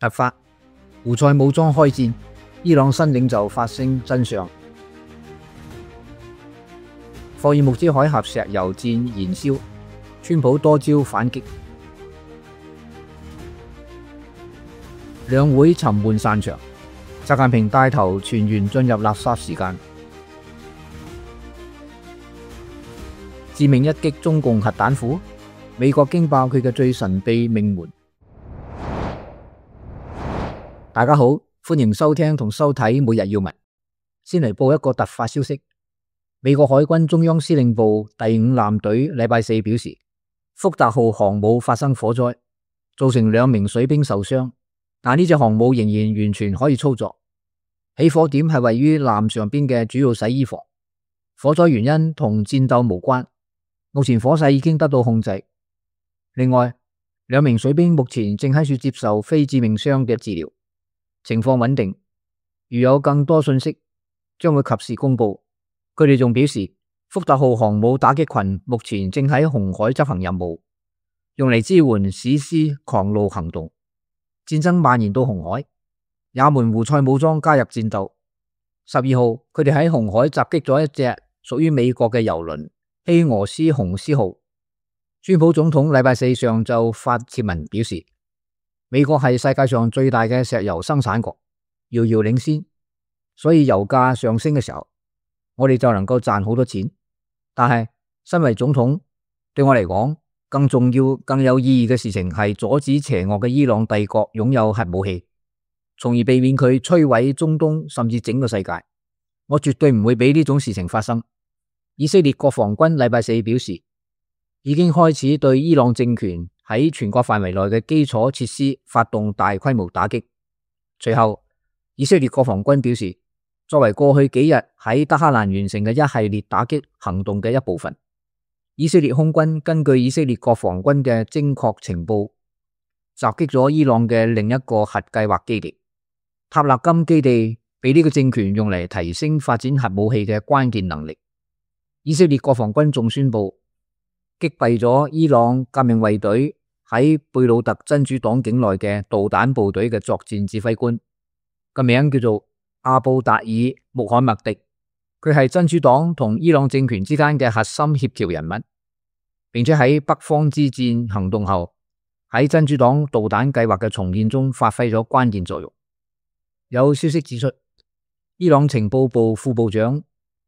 突發，胡塞武裝開戰，伊朗新領袖發聲真相。霍爾木茲海峽石油戰燃燒，川普多招反擊。兩會沉悶散場，習近平帶頭全員進入垃圾時間。致命一擊中共核彈庫，美國驚爆佢嘅最神秘命門。大家好，歡迎收聽同收睇每日要聞。先嚟報一個突發消息，美國海軍中央司令部第5艦隊禮拜四表示，福特號航母發生火災，造成2名水兵受傷，但呢隻航母仍然完全可以操作。起火點係位於艦上邊嘅主要洗衣房，火災原因同戰鬥無關，目前火勢已經得到控制。另外，2名水兵目前正喺處接受非致命傷嘅治療，情況穩定。如有更多信息，將會及時公布。佢哋仲表示，福特號航母打擊群目前正喺紅海執行任務，用嚟支援史詩狂怒行動。戰爭蔓延到紅海，也門胡塞武裝加入戰鬥。12號，佢哋喺紅海襲擊咗一隻屬於美國嘅油輪希俄斯雄獅號。川普總統禮拜四上晝發帖文表示，美國係世界上最大嘅石油生產國，遙遙領先，所以油價上升嘅時候，我哋就能夠賺好多錢。但係身為總統，對我嚟講，更重要、更有意義嘅事情係阻止邪惡嘅伊朗帝國擁有核武器，從而避免佢摧毀中東甚至整個世界。我絕對唔會俾呢種事情發生。以色列國防軍禮拜四表示，已經開始對伊朗政權喺全國範圍內嘅基礎設施發動大規模打擊。隨後，以色列國防軍表示，作為過去幾日喺德黑蘭完成嘅一系列打擊行動嘅一部分，以色列空軍根據以色列國防軍嘅精確情報，襲擊咗伊朗嘅另一個核計劃基地。塔勒金基地被呢個政權用嚟提升發展核武器嘅關鍵能力。以色列國防軍仲宣布擊斃咗伊朗革命衛隊喺貝魯特真主黨境內嘅導彈部隊嘅作戰指揮官，個名叫做阿布達爾穆罕默迪。佢係真主黨同伊朗政權之間嘅核心協調人物，並且喺北方之戰行動後喺真主黨導彈計劃嘅重建中發揮咗關鍵作用。有消息指出，伊朗情報部副部長、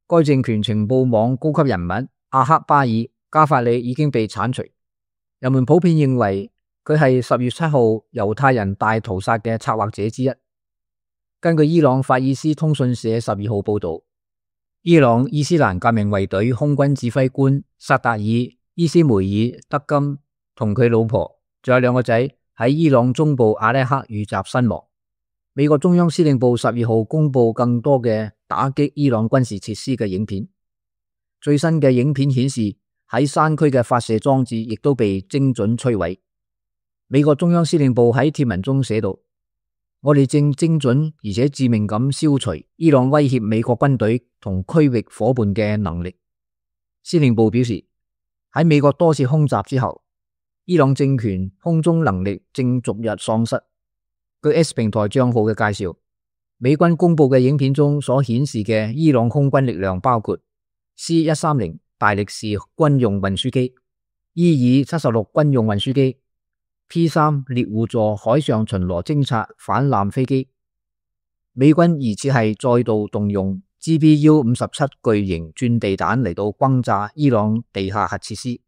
該政權情報網高級人物阿克巴爾加法里已經被鏟除。人們普遍認為佢係10月7號猶太人大屠殺嘅策劃者之一。根據伊朗法爾斯通訊社12號報道，伊朗伊斯蘭革命衛隊空軍指揮官薩達爾伊斯梅爾德金同佢老婆仲有2個仔喺伊朗中部阿拉克遇襲身亡。美國中央司令部12號公布更多嘅打擊伊朗軍事設施嘅影片。最新嘅影片顯示，喺山區嘅發射裝置亦都被精準摧毀。美國中央司令部喺帖文中寫道，我哋正精準而且致命咁消除伊朗威脅美國軍隊同區域夥伴嘅能力。司令部表示，喺美國多次空襲之後，伊朗政權空中能力正逐日喪失。據 X 平台賬號嘅介紹，美軍公布嘅影片中所顯示嘅伊朗空軍力量包括 C-130 大力士軍用運輸機、伊爾76軍用運輸機、P-3 獵戶座海上巡邏偵察反艦飛機。美軍疑似係再度動用 GBU-57 巨型鑽地彈嚟到轟炸伊朗地下核設施。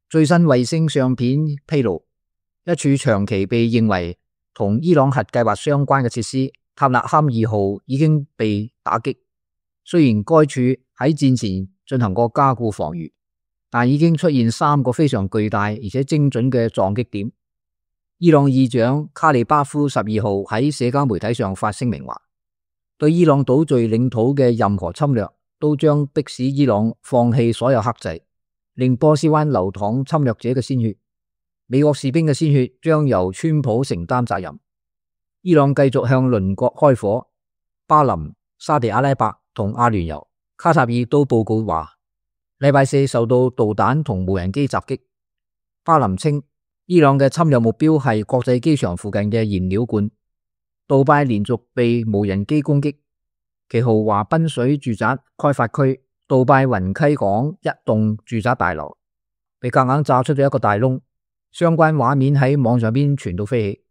最新衛星相片披露，一處長期被認為同伊朗核計劃相關嘅設施塔納坎2號已經被打擊。雖然該處喺戰前進行過加固防禦，但已經出現3個非常巨大而且精準嘅撞擊點。伊朗議長卡利巴夫12號喺社交媒體上發聲明話，對伊朗島嶼領土嘅任何侵略都將迫使伊朗放棄所有克制，令波斯灣流淌侵略者嘅鮮血。美國士兵嘅鮮血將由川普承擔責任。伊朗繼續向鄰國開火，巴林、沙地阿拉伯同阿聯酋、卡塔爾都報告話，禮拜四受到導彈同無人機襲擊。巴林稱伊朗嘅侵略目標係國際機場附近嘅燃料罐。杜拜連續被無人機攻擊，其豪華賓水住宅開發區杜拜雲溪港一棟住宅大樓被夾硬炸出咗一個大窿，相關畫面喺網上邊傳到飛起。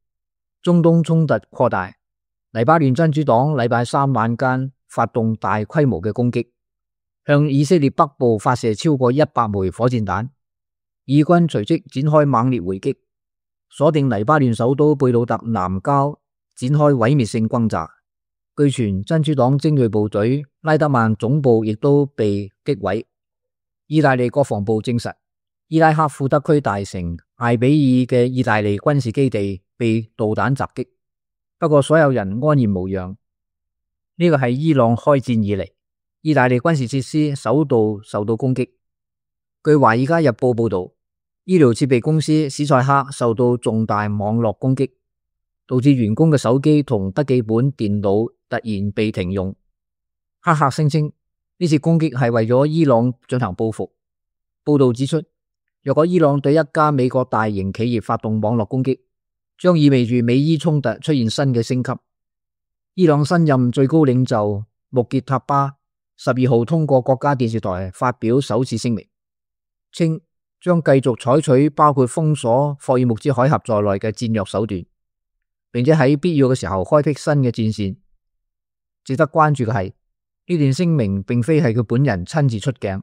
中東衝突擴大，黎巴嫩真主黨禮拜三晚間發動大規模嘅攻擊，向以色列北部發射超過100枚火箭彈，以軍隨即展開猛烈回擊，鎖定黎巴嫩首都貝魯特南郊，展開毀滅性轟炸。據傳真主黨精銳部隊拉德曼總部亦都被擊毀。意大利國防部證實，伊拉克庫德區大城艾比爾嘅意大利軍事基地被導彈襲擊，不過所有人安然無恙。呢個係伊朗開戰以嚟意大利軍事設施首度受到攻擊。據《華爾街日報》報道，醫療設備公司史塞克受到重大網絡攻擊，導致員工嘅手機同筆記本電腦突然被停用。黑客聲稱呢次攻擊係為咗伊朗進行報復。報道指出，若果伊朗對一家美國大型企業發動網絡攻擊，將意味住美伊衝突出現新嘅升級。伊朗新任最高領袖穆傑塔巴12號通過國家電視台發表首次聲明，稱將繼續採取包括封鎖霍爾木茲海峽在內嘅戰略手段，並且喺必要嘅時候開闢新嘅戰線。值得關注嘅係，呢段聲明並非係佢本人親自出鏡，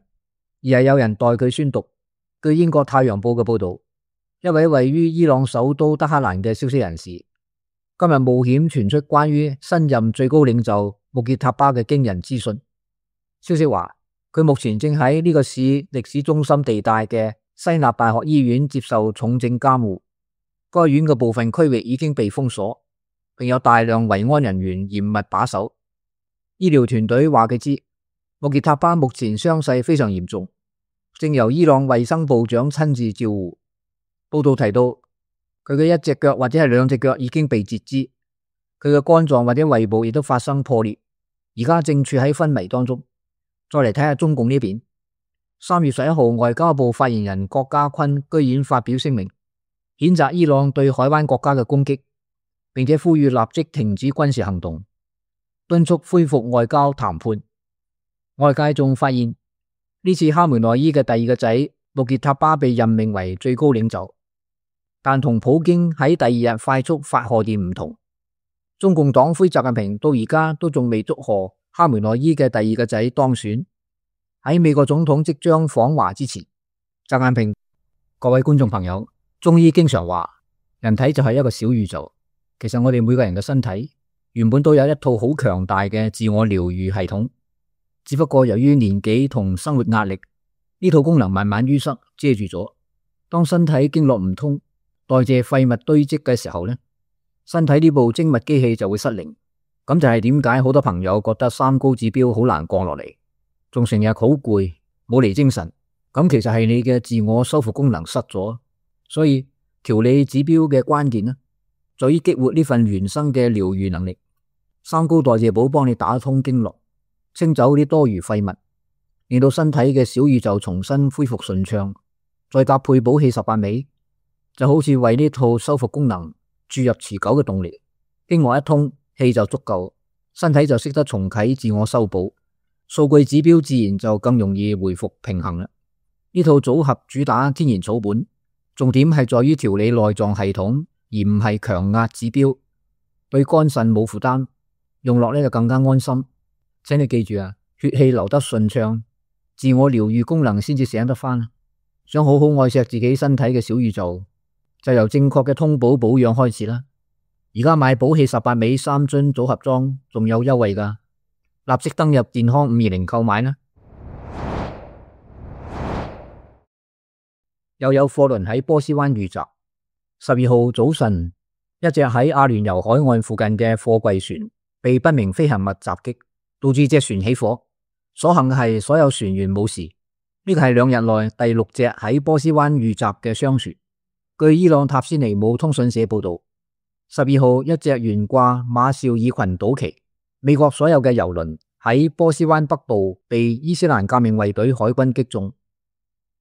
而係有人代佢宣讀。據英國《太陽報》嘅報道，一位位於伊朗首都德黑蘭嘅消息人士今日冒險傳出關於新任最高領袖穆傑塔巴嘅驚人資訊。消息話，佢目前正喺呢個市歷史中心地帶嘅西納大學醫院接受重症監護，該院嘅部分區域已經被封鎖，並有大量維安人員嚴密把守。醫療團隊話佢知，穆傑塔巴目前傷勢非常嚴重，正由伊朗衛生部長親自照護。報道提到，佢嘅一隻腳或者係兩隻腳已經被截肢，佢嘅肝臟或者胃部亦都發生破裂，而家正處喺昏迷當中。再嚟睇下中共呢邊，3月11號，外交部發言人郭家坤居然發表聲明，譴責伊朗對海灣國家嘅攻擊，並且呼籲立即停止軍事行動，敦促恢復外交談判。外界仲發現，呢次哈梅內伊嘅第二個仔穆傑塔巴被任命為最高領袖，但同普京喺第二日快速發賀電唔同，中共黨魁習近平到而家都仲未祝賀哈梅內伊嘅第二個仔當選。喺美國總統即將訪華之前，習近平，各位觀眾朋友，中醫經常話人體就係一個小宇宙，其實我哋每個人嘅身體原本都有一套好強大嘅自我療愈系統，只不過由於年紀同生活壓力，呢套功能慢慢淤塞遮住咗。當身體經絡唔通，代謝廢物堆積嘅時候呢，身體呢部精密機器就會失靈。咁就係點解好多朋友覺得三高指標好難降落嚟，仲成日好攰，冇嚟精神。咁其實係你嘅自我修復功能失咗。所以調理指標嘅關鍵呢，在於激活呢份原生嘅療愈能力。三高代謝寶幫你打通經絡，清走啲多餘廢物，令到身體嘅小宇宙重新恢復順暢。再搭配補氣18味，就好似為呢套修復功能注入持久嘅動力。經絡一通，氣就足夠，身體就識得重啟自我修補，數據指標自然就更容易回復平衡啦。呢套組合主打天然草本，重點係在於調理內臟系統，而唔係強壓指標，對肝腎冇負擔，用落呢就更加安心。請你記住啊，血氣流得順暢，自我療愈功能先至醒得翻。想好好愛錫自己身體嘅小宇宙，就由正確嘅通補保養開始啦。而家買補氣18味3樽組合裝仲有優惠㗎，立即登入健康520購買啦。又有貨輪喺波斯灣遇襲。12號早晨，一隻喺阿聯酋海岸附近嘅貨櫃船被不明飛行物襲擊，導致隻船起火。所幸係所有船員冇事。呢個係2日內第6隻喺波斯灣遇襲嘅商船。據伊朗塔斯尼姆通訊社報道，12號一隻懸掛馬紹爾群島旗，美國所有嘅油輪喺波斯灣北部被伊斯蘭革命衛隊海軍擊中。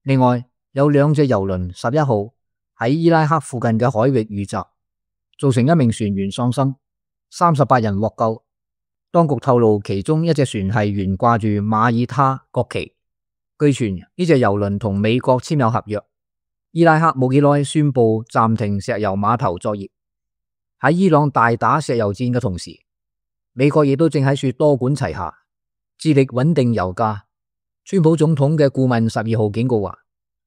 另外有2隻油輪11號喺伊拉克附近嘅海域遇襲，造成一名船員喪生，38人獲救。當局透露，其中一隻船係懸掛住馬耳他國旗。據傳呢隻郵輪同美國簽有合約。伊拉克冇幾耐宣布暫停石油碼頭作業。喺伊朗大打石油戰嘅同時，美國亦都正喺處多管齊下，致力穩定油價。川普總統嘅顧問12號警告話，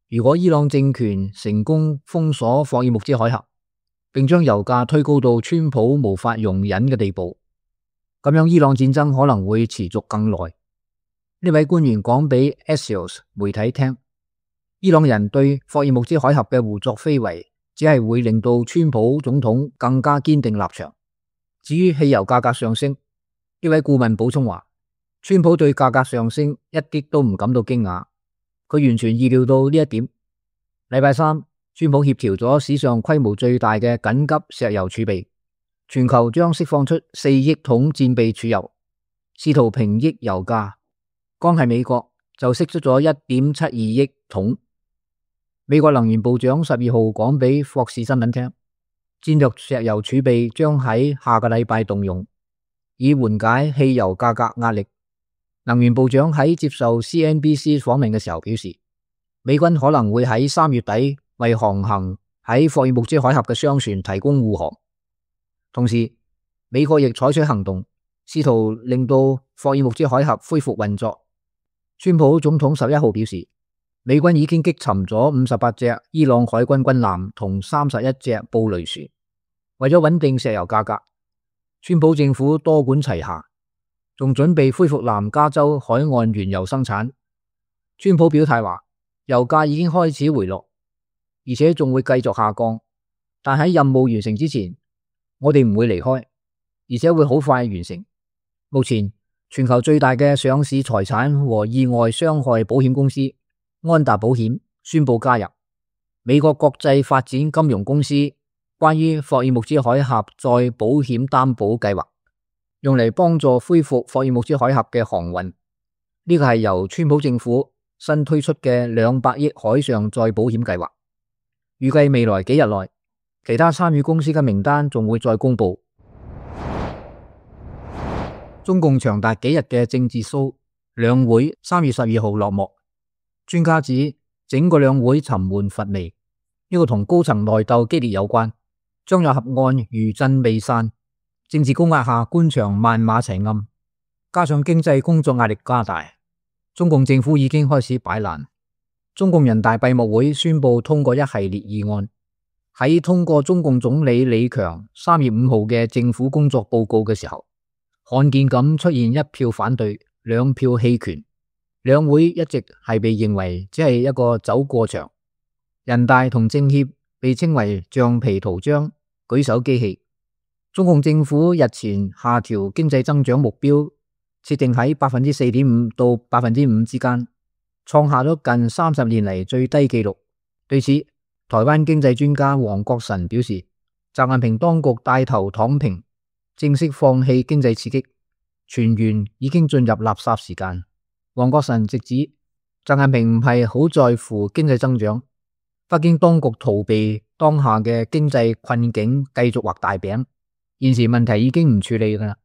如果伊朗政權成功封鎖霍爾木茲海峽，並將油價推高到川普無法容忍嘅地步，咁樣伊朗戰爭可能會持續更耐。呢位官員講俾 Axios 媒體聽，伊朗人對霍爾木茲海峽嘅胡作非為，只係會令到川普總統更加堅定立場。至於汽油價格上升，呢位顧問補充話，川普對價格上升一啲都唔感到驚訝，佢完全意料到呢一點。禮拜三，川普協調咗史上規模最大嘅緊急石油儲備，全球將釋放出4億桶戰備儲油，試圖平抑油價。光係美國就釋出咗1.72億桶。美國能源部長12號講俾霍士新聞聽，戰略石油儲備將喺下個禮拜動用，以緩解汽油價格壓力。能源部長喺接受 CNBC 訪問嘅時候表示，美軍可能會喺3月底為航行喺霍爾木茲海峽嘅商船提供護航。同時，美國亦採取行動，試圖令到霍爾木茲海峽恢復運作。川普總統11號表示，美軍已經擊沉咗58隻伊朗海軍軍艦同31隻布雷船。為咗穩定石油價格，川普政府多管齊下，仲準備恢復南加州海岸原油生產。川普表態話，油價已經開始回落，而且仲會繼續下降，但喺任務完成之前，我哋唔會離開，而且會好快完成。目前全球最大嘅上市財產和意外傷害保險公司安達保險宣布加入美國國際發展金融公司關於霍爾木茲海峽再保險擔保計劃，用嚟幫助恢復霍爾木茲海峽嘅航運。呢個係由川普政府新推出嘅200億海上再保險計劃，預計未來幾日內，其他參與公司嘅名單仲會再公布。中共長達幾日嘅政治騷兩會3月12號落幕，專家指整個兩會沉悶乏味，呢個同高層內鬥激烈有關。張又俠案餘震未散，政治高壓下官場萬馬齊喑，加上經濟工作壓力加大，中共政府已經開始擺爛。中共人大閉幕會宣布通過一系列議案，喺通過中共總理李強3月5號嘅政府工作報告嘅時候，罕見咁出現1票反對，2票棄權。兩會一直係被認為只係一個走過場，人大同政協被稱為橡皮圖章、舉手機器。中共政府日前下調經濟增長目標，設定喺 4.5% 到 5% 之間，創下咗近30年嚟最低紀錄。對此，台灣經濟專家黃國臣表示，習近平當局帶頭躺平，正式放棄經濟刺激，全員已經進入垃圾時間。黃國臣直指，習近平唔係好在乎經濟增長，北京當局逃避當下嘅經濟困境，繼續畫大餅，現時問題已經唔處理㗎喇。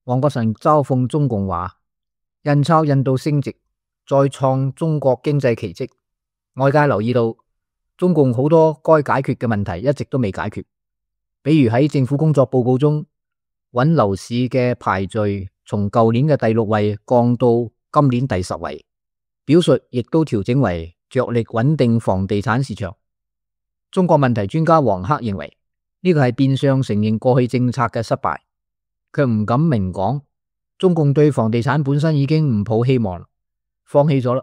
黃國臣嘲諷中共話，印鈔印到升值，再創中國經濟奇蹟。外界留意到，中共好多該解決嘅問題一直都未解決，比如喺政府工作報告中，穩樓市嘅排序從舊年嘅第6位降到今年第10位，表述亦都調整為着力穩定房地產市場。中國問題專家黃克認為，呢個係變相承認過去政策嘅失敗，卻唔敢明講。中共對房地產本身已經唔抱希望，放棄咗啦，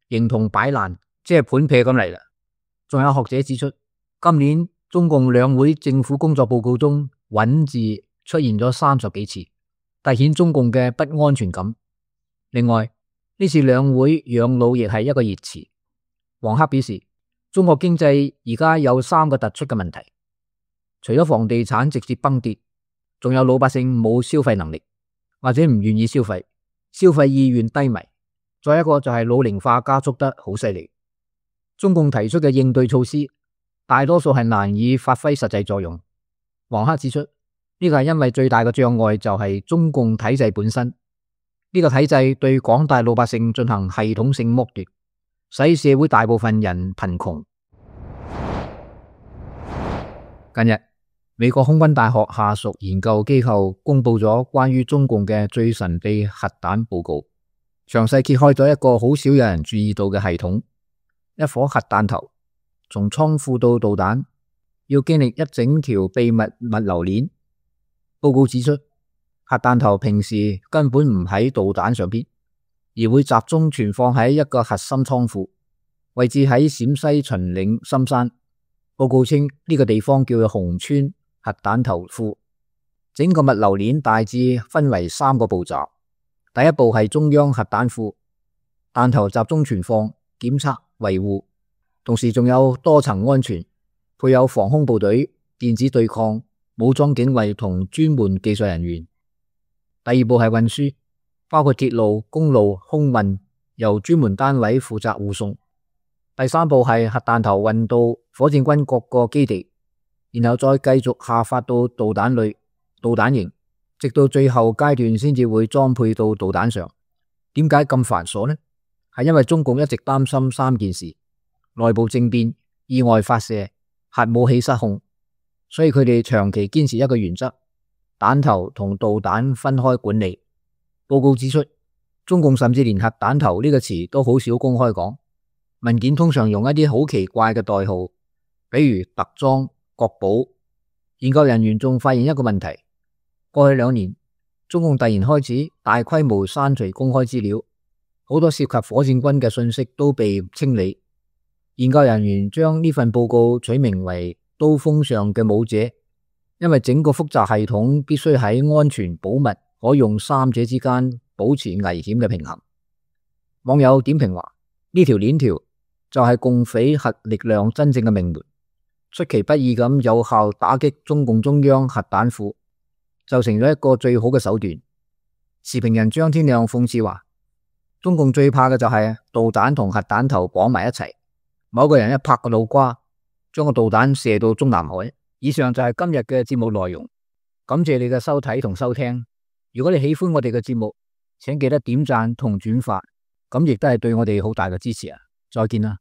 形同擺爛，即係盤劈咁嚟啦。仲有學者指出，今年中共兩會政府工作報告中穩字出現咗30幾次，凸顯中共嘅不安全感。另外，呢次兩會養老亦係一個熱詞。黃克表示，中國經濟而家有3個突出嘅問題，除咗房地產直接崩跌，仲有老百姓冇消費能力，或者唔願意消費，消費意願低迷。再一個就係老齡化加速得好犀利。中共提出嘅應對措施大多數係難以發揮實際作用。王克指出，呢個係因為最大嘅障礙就係中共體制本身，呢個體制對廣大老百姓進行系統性剝奪，使社會大部分人貧窮。近日，美國空軍大學下屬研究機構公布咗關於中共嘅最神秘核彈報告，詳細揭開咗一個好少有人注意到嘅系統。一顆核彈頭從倉庫到導彈要經歷一整條秘密物流鏈。報告指出，核彈頭平時根本唔喺導彈上邊，而會集中存放喺一個核心倉庫，位置喺陝西秦嶺深山。報告稱呢個地方叫做紅川核彈頭庫。整個物流鏈大致分為3個步驟。第一步係中央核彈庫，彈頭集中存放、檢測、維護，同時仲有多層安全，配有防空部隊、電子對抗、武裝警衛同專門技術人員。第二步係運輸，包括鐵路、公路、空運，由專門單位負責護送。第三步係核彈頭運到火箭軍各個基地，然後再繼續下發到導彈類、導彈營，直到最後階段先至會裝配到導彈上。點解咁繁瑣呢？係因為中共一直擔心3件事：內部政變、意外發射、核武器失控，所以佢哋長期堅持一個原則：彈頭同導彈分開管理。報告指出，中共甚至連核彈頭呢個詞都好少公開講，文件通常用一啲好奇怪嘅代號，比如特裝、國寶。研究人員仲發現一個問題：過去2年，中共突然開始大規模刪除公開資料，好多涉及火箭軍嘅信息都被清理。研究人員將呢份報告取名為刀鋒上嘅武者，因為整個複雜系統必須喺安全、保密、可用3者之間保持危險嘅平衡。網友點評話：呢條鏈條就係共匪核力量真正嘅命門，出其不意咁有效打擊中共中央核彈庫，就成咗一個最好嘅手段。時評人張天亮諷刺話：中共最怕嘅就係導彈同核彈頭綁埋一齊，某個人一拍個腦瓜，將個導彈射到中南海。以上就係今日嘅節目內容，感謝你嘅收睇同收聽。如果你喜歡我哋嘅節目，請記得點讚同轉發，咁亦都係對我哋好大嘅支持啊！再見啦。